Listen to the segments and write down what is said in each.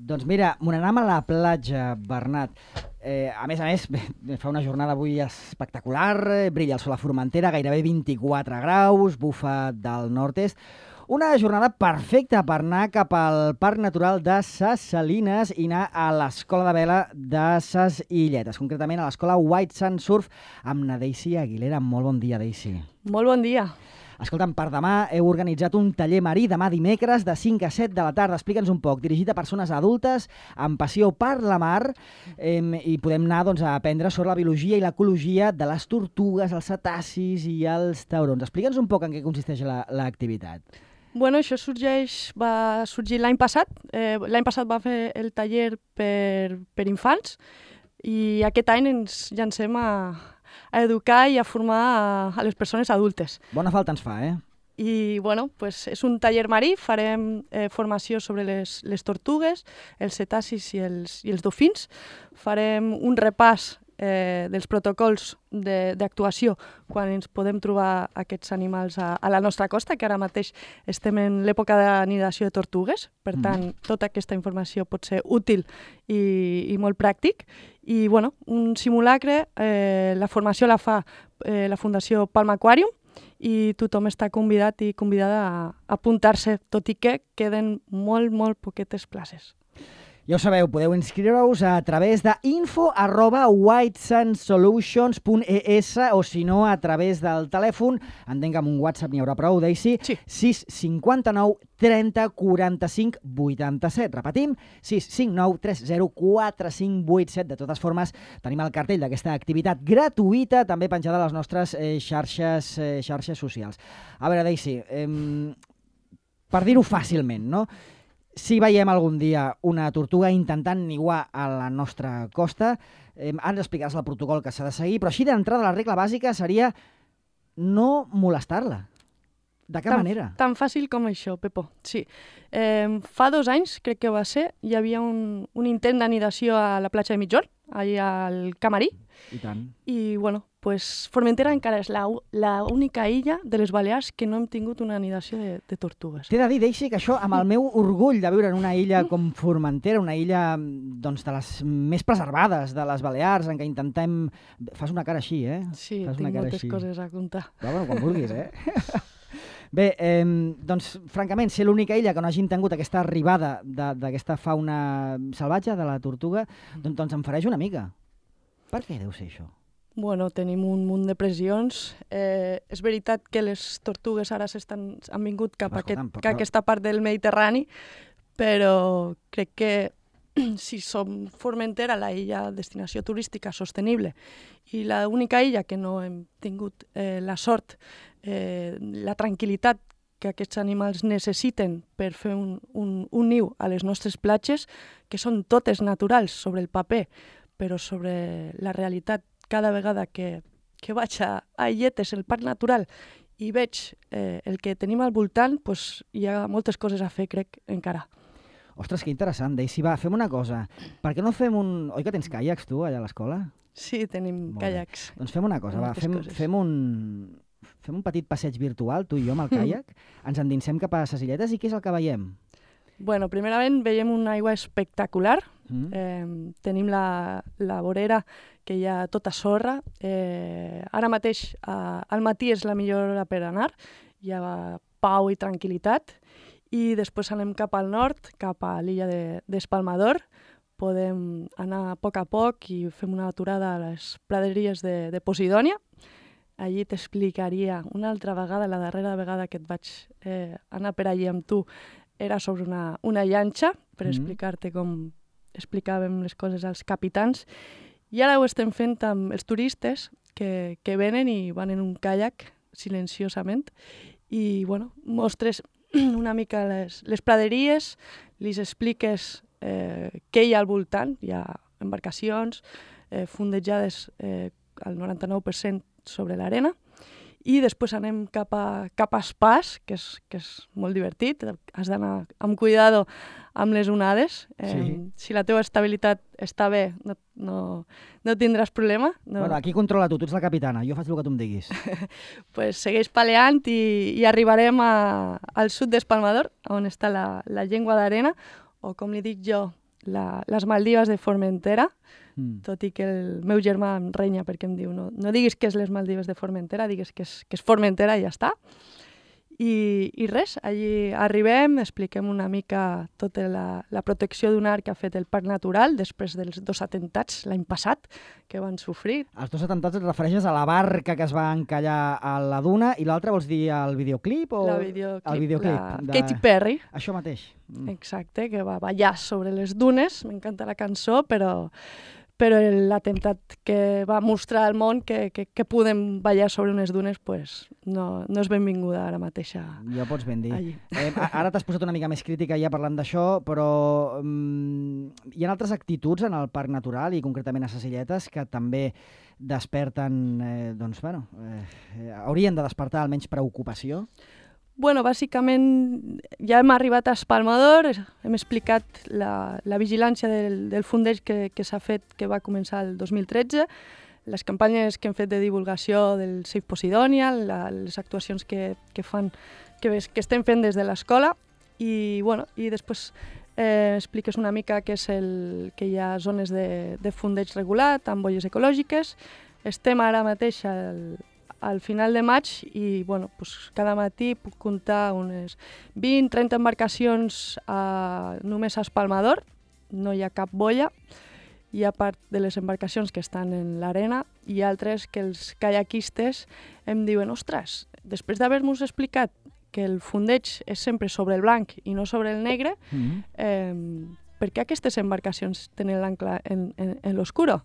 Doncs mira, me n'anem a la platja, Bernat. A més, fa una jornada avui espectacular, brilla el sol a Formentera, gairebé 24 graus, bufa del nord-est. Una jornada perfecta per anar cap al Parc Natural de Ses Salines i anar a l'Escola de Vela de Ses Illetes, concretament a l'Escola White Sand Surf amb na Daisy Aguilera. Molt bon dia, Daisy. Molt bon dia. Escolta'm, per demà heu organitzat un taller marí demà dimecres de 5 a 7 de la tarda. Explica'ns un poc, dirigit a persones adultes amb passió per la mar i podem anar a aprendre sobre la biologia i l'ecologia de les tortugues, els cetacis i els taurons. Explica'ns un poc en què consisteix l'activitat. Bueno, això va sorgir l'any passat. L'any passat va fer el taller per infants i aquest any ens llancem a educar i a formar a les persones adultes. Bona falta ens fa, I, bueno, és un taller marí, farem formació sobre les tortugues, els cetacis i els dofins, farem un repàs dels protocols d'actuació quan ens podem trobar aquests animals a la nostra costa, que ara mateix estem en l'època d'anidació de tortugues, per tant, tota aquesta informació pot ser útil i molt pràctic. I, bueno, un simulacre, la formació la fa la Fundació Palma Aquarium i tothom està convidat i convidada a apuntar-se, tot i que queden molt poquetes places. Ja ho sabeu, podeu inscriure-us a través de info@whitesandsolutions.es o si no a través del telèfon, entenc que amb un WhatsApp n'hi haurà prou, Daisy, sí. 659 30 45 87. Repetim, 659 30 45 87. De totes formes, tenim el cartell d'aquesta activitat gratuïta, també penjada a les nostres xarxes socials. A veure, Daisy, per dir-ho fàcilment, no? Si veiem algun dia una tortuga intentant niguar a la nostra costa, ara ens explicaràs el protocol que s'ha de seguir, però així d'entrada la regla bàsica seria no molestar-la. De cap manera. Tan fàcil com això, Pepo. Sí. Fa 2 anys, crec que va ser, hi havia un intent d'anidació a la platja de Mitjorn, allà al Camarí. I tant. I, bueno, Formentera encara és l'única illa de les Balears que no hem tingut una anidació de tortugues. T'he de dir, Daisy, que això, amb el meu orgull de viure en una illa com Formentera, una illa de les més preservades de les Balears, en què intentem... Fas una cara així, Sí, tinc moltes coses a contar. Bueno, quan vulguis, Bé, doncs, francament, ser l'única illa que no hagin tingut aquesta arribada d'aquesta fauna salvatge, de la tortuga, doncs em fareix una mica. Per què deu ser això? Bueno, tenim un munt de pressions. És veritat que les tortugues ara han vingut cap a aquesta part del Mediterrani, però crec que si som Formentera, la illa destinació turística sostenible, i l'única illa que no hem tingut la sort, la tranquil·litat que aquests animals necessiten per fer un niu a les nostres platges, que són totes naturals sobre el paper, però sobre la realitat cada vegada que vaig a Illetes, el Parc Natural, i veig el que tenim al voltant, hi ha moltes coses a fer, crec, encara. Ostres, que interessant, Daisy. Va, fem una cosa. Per què no fem un... Oi que tens caiacs, tu, allà a l'escola? Sí, tenim caiacs. Doncs fem una cosa, fem un petit passeig virtual, tu i jo, amb el caiac, ens endinsem cap a Ses Illetes i què és el que veiem? Bueno, primerament veiem una aigua espectacular. Tenim la vorera, que hi ha tota sorra. Ara mateix, al matí és la millor hora per anar. Hi ha pau i tranquil·litat. I després anem cap al nord, cap a l'illa d'Espalmador. Podem anar a poc i fem una aturada a les praderies de Posidònia. Allí t'explicaria una altra vegada, la darrera vegada que et vaig anar per allí amb tu, era sobre una llanxa, per explicar-te com explicàvem les coses als capitans. I ara ho estem fent amb els turistes que venen i van en un caiac silenciosament i, bueno, mostres una mica les praderies, li expliques què hi ha al voltant, hi ha embarcacions fondejades al 99% sobre l'arena, i després anem cap a Espàs, que és molt divertit, has d'anar amb cuidado amb les onades. Si la teva estabilitat està bé, no tindràs problema. Bueno, aquí controla tu ets la capitana, jo faig el que tu em diguis. Pues segueix paleant i arribarem al sud d'Espalmador, on està la llengua d'arena, o com li dic jo, les Maldives de Formentera, tot i que el meu germà em renya perquè em diu no diguis que és les Maldives de Formentera, digues que és Formentera i ja està. I res, allí arribem, expliquem una mica tota la protecció d'un arc que ha fet el Parc Natural després dels 2 atemptats l'any passat que van sofrir. Els 2 atemptats et refereixes a la barca que es va encallar a la duna i l'altre vols dir el videoclip? El videoclip de Katy Perry. Això mateix. Exacte, que va ballar sobre les dunes, m'encanta la cançó, però l'atemptat que va mostrar al món que podem ballar sobre unes dunes pues, no és benvinguda ara mateix. Ja pots ben dir. Ara t'has posat una mica més crítica ja parlant d'això, però hi ha altres actituds en el Parc Natural i concretament a Ses Illetes que també desperten, haurien de despertar almenys preocupació? Bueno, bàsicament ja hem arribat a Espalmador, hem explicat la vigilància del fundeig que s'ha fet, que va començar el 2013, les campanyes que hem fet de divulgació del Save Posidònia, les actuacions que estem fent des de l'escola i després expliques una mica que hi ha zones de fundeig regulat amb boies ecològiques. Estem ara mateix al final de maig i cada matí puc comptar unes 20-30 embarcacions només a Espalmador, no hi ha cap boia, i a part de les embarcacions que estan en l'arena, hi ha altres que els kayakistes em diuen ostres, després d'haver-nos explicat que el fundeig és sempre sobre el blanc i no sobre el negre, per què aquestes embarcacions tenen l'ancle en l'oscuro?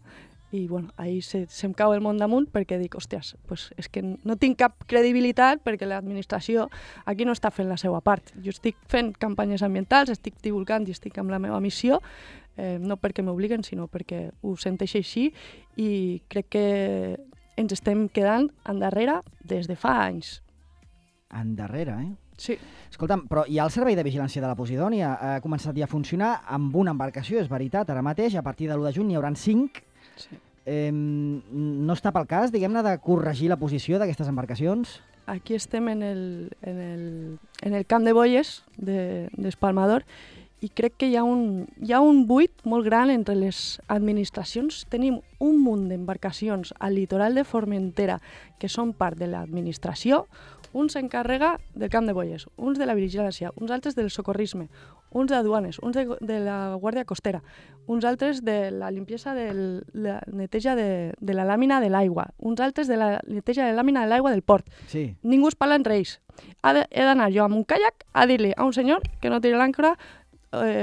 I ahí se'm cau el món damunt perquè dic, hòsties, és que no tinc cap credibilitat perquè l'administració aquí no està fent la seva part. Jo estic fent campanyes ambientals, estic divulgant i estic amb la meva missió, no perquè m'obliguen, sinó perquè ho senteixo així i crec que ens estem quedant endarrere des de fa anys. Endarrere, Sí. Escolta'm, però hi ha el servei de vigilància de la Posidònia, ha començat ja a funcionar amb una embarcació, és veritat, ara mateix, a partir de l'1 de juny n'hi hauran 5. Sí. No està pel cas, diguem-ne, de corregir la posició d'aquestes embarcacions? Aquí estem en el camp de boies d'Espalmador i crec que hi ha un buit molt gran entre les administracions. Tenim un munt d'embarcacions al litoral de Formentera que són part de l'administració. Un s'encarrega del camp de boies, uns de la vigilància, uns altres del socorrisme, uns d'aduanes, uns de la Guàrdia Costera, uns altres de la limpiesa de la neteja de la làmina de l'aigua, uns altres de la neteja de la làmina de l'aigua del port. Sí. Ningú es parla entre ells. He d'anar jo amb un caiac a dir-li a un senyor que no tiri l'àncora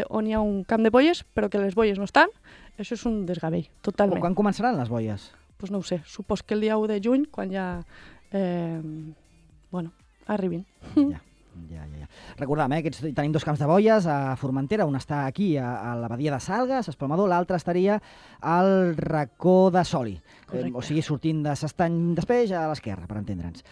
on hi ha un camp de boies, però que les boies no estan. Això és un desgavell, totalment. Quan començaran les boies? Doncs no ho sé, supos que el dia 1 de juny, quan ja arribin. Ja. Recordem, tenim 2 camps de boies a Formentera, un està aquí a la badia de Salgues, a Espalmador, l'altre estaria al racó de Soli, o sigui, sortint de s'Estany després a l'esquerra, per entendre'ns.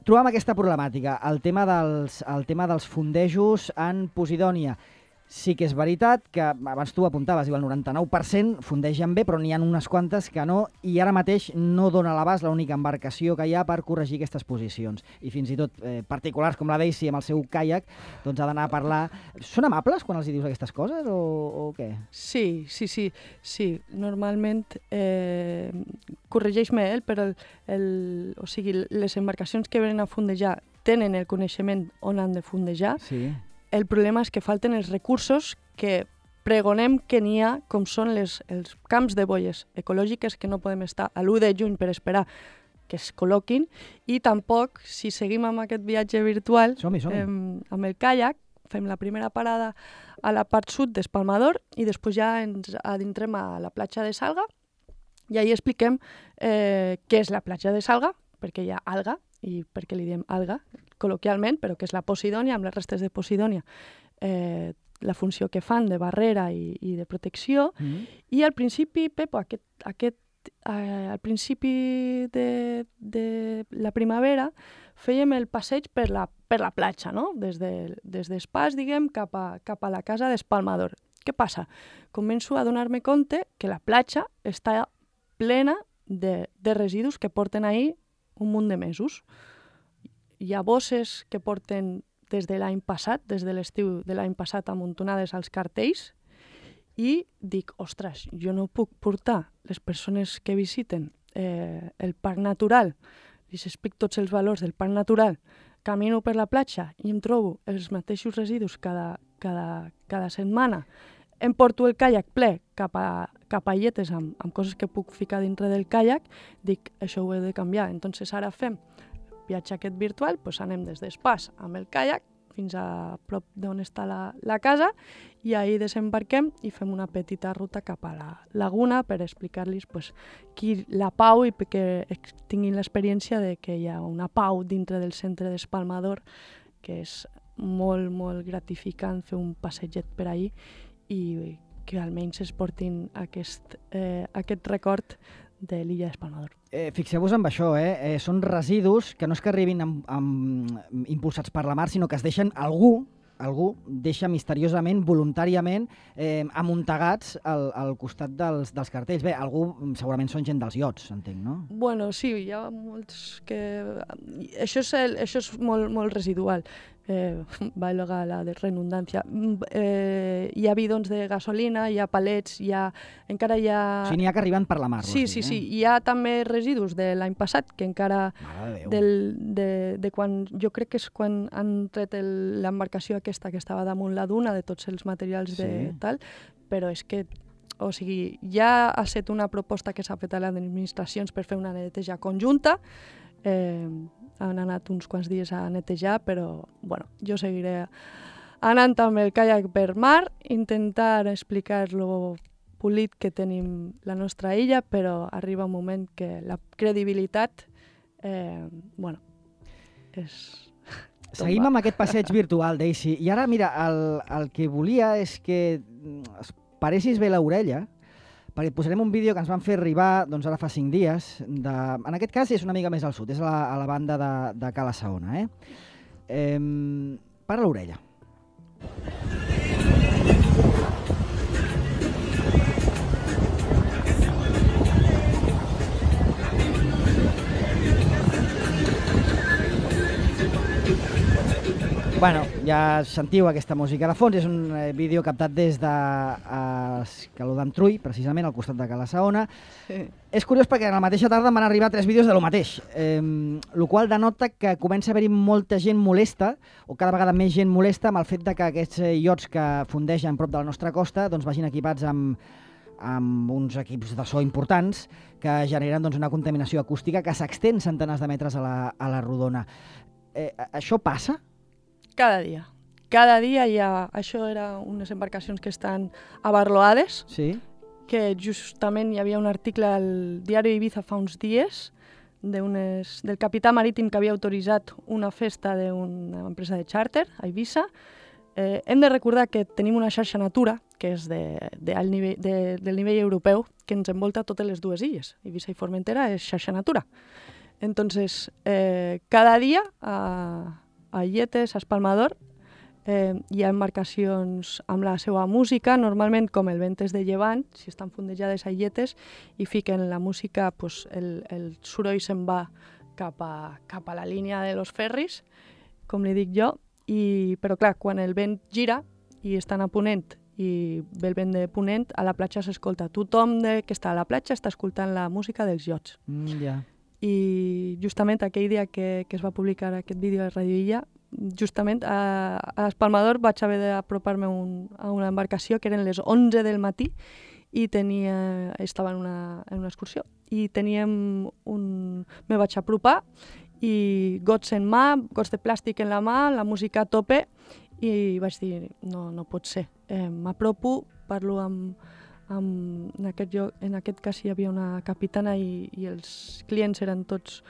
Trobam aquesta problemàtica, el tema dels fondejos en Posidònia. Sí que és veritat que, abans tu apuntaves, el 99% fondegen bé, però n'hi ha unes quantes que no, i ara mateix no dona a l'abast l'única embarcació que hi ha per corregir aquestes posicions. I fins i tot particulars com la Daisy amb el seu caiac, doncs ha d'anar a parlar... Són amables quan els dius aquestes coses o què? Sí. Normalment corregeix-me però o sigui, les embarcacions que venen a fondejar tenen el coneixement on han de fondejar. Sí. El problema és que falten els recursos que pregonem que n'hi ha, com són els camps de boies ecològiques, que no podem estar a l'1 de juny per esperar que es col·loquin, i tampoc, si seguim amb aquest viatge virtual, amb el caiac, fem la primera parada a la part sud d'Espalmador i després ja ens adentrem a la platja de Salga i ahir expliquem què és la platja de Salga, perquè hi ha alga, i per què li diem alga, col·loquialment, però que és la Posidònia, amb les restes de Posidònia, la funció que fan de barrera i de protecció. I al principi, Pepo, al principi de la primavera, fèiem el passeig per la platja, no? Des d'Espàs, diguem, cap a la casa d'Espalmador. Què passa? Començo a donar-me compte que la platja està plena de residus que porten ahir un munt de mesos. Hi ha bosses que porten des de l'any passat, des de l'estiu de l'any passat, amuntonades als cartells, i dic, ostres, jo no puc portar les persones que visiten el parc natural, els explico tots els valors del parc natural, camino per la platja i em trobo els mateixos residus cada setmana, em porto el caiac ple cap a illetes amb coses que puc ficar dintre del caiac, dic, això ho he de canviar. Entonces ara fem viatge aquest virtual, doncs anem des d'Espàs amb el caiac fins a prop d'on està la casa i ahir desembarquem i fem una petita ruta cap a la laguna per explicar-los la pau i que tinguin l'experiència de que hi ha una pau dintre del centre d'Espalmador, que és molt, molt gratificant fer un passeget per ahir i que almenys es portin aquest record de l'illa d'Espalmador. Fixeu-vos en això, són residus que no és que arribin impulsats per la mar, sinó que es deixen algú deixa misteriosament, voluntàriament, amuntegats al costat dels cartells. Bé, algú segurament són gent dels iots, entenc, no? Bueno, sí, hi ha molts que... Això és molt residual. Valga la redundància. Hi ha bidons de gasolina, hi ha palets, encara hi ha... O sigui, n'hi ha que arriben per la mar. Sí. Hi ha també residus de l'any passat, que encara... de quan... Jo crec que és quan han tret l'embarcació aquesta que estava damunt la duna, de tots els materials de tal, però és que... O sigui, ja ha estat una proposta que s'ha fet a les administracions per fer una neteja conjunta. Han anat uns quants dies a netejar, però bueno, jo seguiré anant amb el caiac per mar, intentar explicar lo polit que tenim la nostra illa, però arriba un moment que la credibilitat, és... Seguim amb aquest passeig virtual, Daisy. I ara, mira, el que volia és que es paressis bé l'orella, perquè et posarem un vídeo que ens van fer arribar doncs ara fa 5 dies. En aquest cas és una mica més al sud, és a la banda de Cala Saona. Para l'orella. Bueno, ja sentiu aquesta música de fons, és un vídeo captat des de Escaló d'Antrull, precisament, al costat de Cala Saona. Sí. És curiós perquè a la mateixa tarda em van arribar 3 vídeos de lo mateix, el qual denota que comença a haver-hi molta gent molesta, o cada vegada més gent molesta, amb el fet de que aquests iots que fondegen prop de la nostra costa doncs vagin equipats amb uns equips de so importants que generen doncs, una contaminació acústica que s'extén centenars de metres a la rodona. Això passa? Cada dia. Cada dia hi ha... Això era unes embarcacions que estan abarloades, sí. Que justament hi havia un article al diari Ibiza fa uns dies del capità marítim que havia autoritzat una festa d'una empresa de xàrter a Eivissa. Hem de recordar que tenim una xarxa Natura, que és del nivell europeu, que ens envolta totes les dues illes. Eivissa i Formentera és xarxa Natura. Entonces, cada dia a Illetes, a Espalmador, hi ha embarcacions amb la seva música, normalment com el vent és de llevant, si estan fondejades a Illetes, i fiquen la música, pues, el soroll se'n va cap a la línia de los ferris, com li dic jo, però clar, quan el vent gira i estan a ponent i ve el vent de ponent, a la platja s'escolta. Tothom que està a la platja està escoltant la música dels iots. I justament aquell dia que es va publicar aquest vídeo a Radio Illa, justament a Espalmador vaig haver d'apropar-me a una embarcació que eren les 11 del matí i estava en una excursió i me vaig apropar i gots en mà, gots de plàstic en la mà, la música a tope i vaig dir, no pot ser. M'apropo, parlo en aquest cas hi havia una capitana i els clients eren tots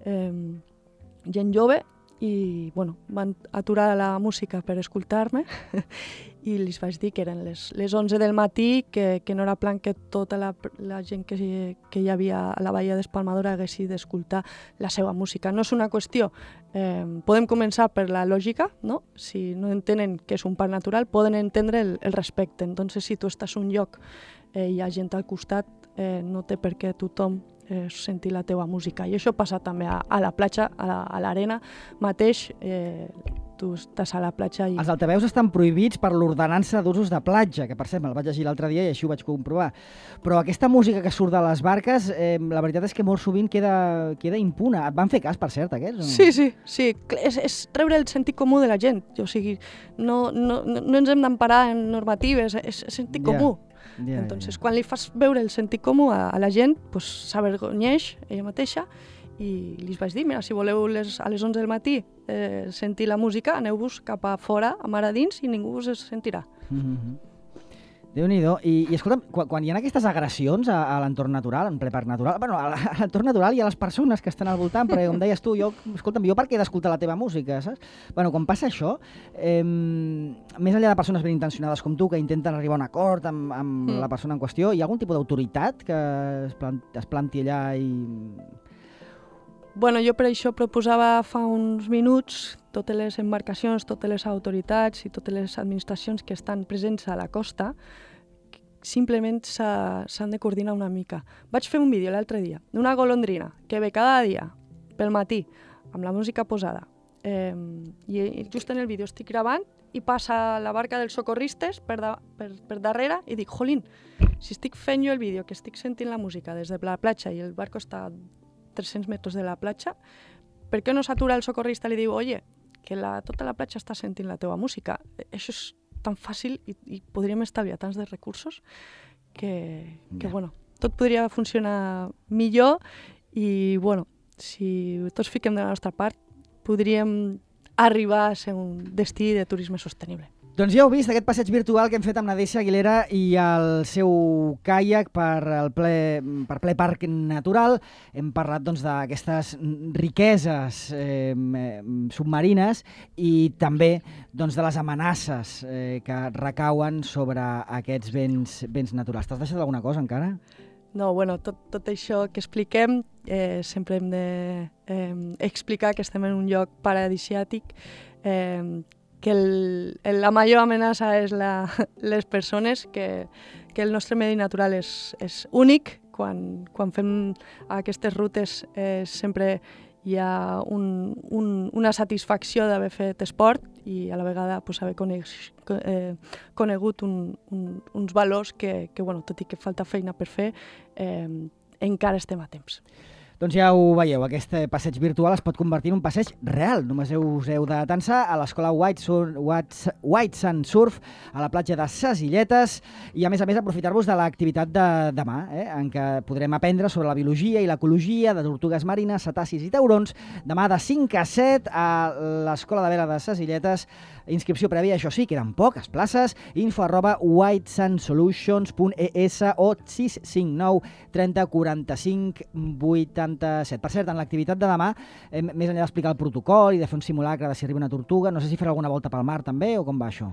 gent jove i van aturar la música per escoltar-me i els vaig dir que eren les 11 del matí, que no era plan que tota la gent que hi havia a la Baia d'Espalmador haguessi d'escoltar la seva música. No és una qüestió, podem començar per la lògica, no? Si no entenen que és un parc natural, poden entendre el respecte. Entonces, si tu estàs en un lloc i hi ha gent al costat, no té per què tothom sentir la teva música. I això passa també a la platja, a l'arena mateix. tu estàs a la platja i... Els altaveus estan prohibits per l'ordenança d'usos de platja, que per cert me'l vaig llegir l'altre dia i així ho vaig comprovar. Però aquesta música que surt de les barques, la veritat és que molt sovint queda impuna. Et van fer cas, per cert, aquests? Sí. És treure el sentit comú de la gent. O sigui, no ens hem d'emparar en normatives, és sentit comú. Entonces, quan li fas veure el sentit comú a la gent, pues, s'avergonyeix ella mateixa. I li vaig dir, mira, si voleu a les 11 del matí sentir la música, aneu-vos cap a fora, a mar a dins, i ningú us sentirà. Déu-n'hi-do. I escolta'm, quan hi ha aquestes agressions a l'entorn natural, en ple parc natural, bueno, a l'entorn natural i a les persones que estan al voltant, perquè com deies tu, jo per què he d'escoltar la teva música, saps? Bueno, quan passa això, més enllà de persones ben intencionades com tu, que intenten arribar a un acord amb la persona en qüestió, hi ha algun tipus d'autoritat que es planti allà i... Bueno, jo per això proposava fa uns minuts totes les embarcacions, totes les autoritats i totes les administracions que estan presents a la costa simplement s'han de coordinar una mica. Vaig fer un vídeo l'altre dia d'una golondrina que ve cada dia pel matí amb la música posada i just en el vídeo estic gravant i passa la barca dels socorristes per darrere i dic, jolín, si estic fent jo el vídeo que estic sentint la música des de la platja i el barco està 300 metres de la platja, per què no s'atura el socorrista i li diu, oye, que tota la platja està sentint la teva música? Això és tan fàcil i podríem estalviar tants de recursos que bueno, tot podria funcionar millor i, bueno, si tots fiquem de la nostra part, podríem arribar a ser un destí de turisme sostenible. Doncs ja heu vist aquest passeig virtual que hem fet amb la Deixa Aguilera i el seu caiac per ple parc natural. Hem parlat d'aquestes riqueses submarines i també de les amenaces que recauen sobre aquests béns naturals. T'has deixat alguna cosa encara? No, bueno, tot això que expliquem sempre hem d'explicar que estem en un lloc paradisiàtic, que la major amenaça és les persones, que el nostre medi natural és únic. Quan fem aquestes rutes sempre hi ha una satisfacció d'haver fet esport i a la vegada haver conegut uns valors que, tot i que falta feina per fer, encara estem a temps. Doncs ja ho veieu, aquest passeig virtual es pot convertir en un passeig real. Només us heu de tensar a l'escola White Sand Surf a la platja de Ses Illetes i a més aprofitar-vos de l'activitat de demà, en què podrem aprendre sobre la biologia i l'ecologia de tortugues marines, cetacis i taurons. Demà de 5 a 7 a l'escola de vela de Ses Illetes. Inscripció prèvia, això sí, queden poques places. info@whitesandsolutions.es o 659 30 45 87. Per cert, en l'activitat de demà, més enllà d'explicar el protocol i de fer un simulacre de si arriba una tortuga, no sé si farà alguna volta pel mar també o com va això?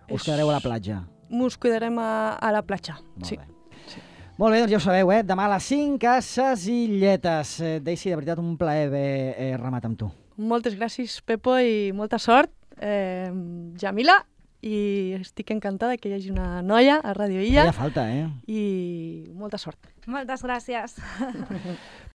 O us quedareu a la platja? Mos quedarem a la platja, sí. Molt bé, doncs ja ho sabeu, demà a les 5 a Ses Illetes. Daisy, de veritat, un plaer haver remat amb tu. Moltes gràcies, Pepo, i molta sort. Jamila, i estic encantada que hi hagi una noia a Ràdio Illa. Feia falta, I molta sort. Moltes gràcies.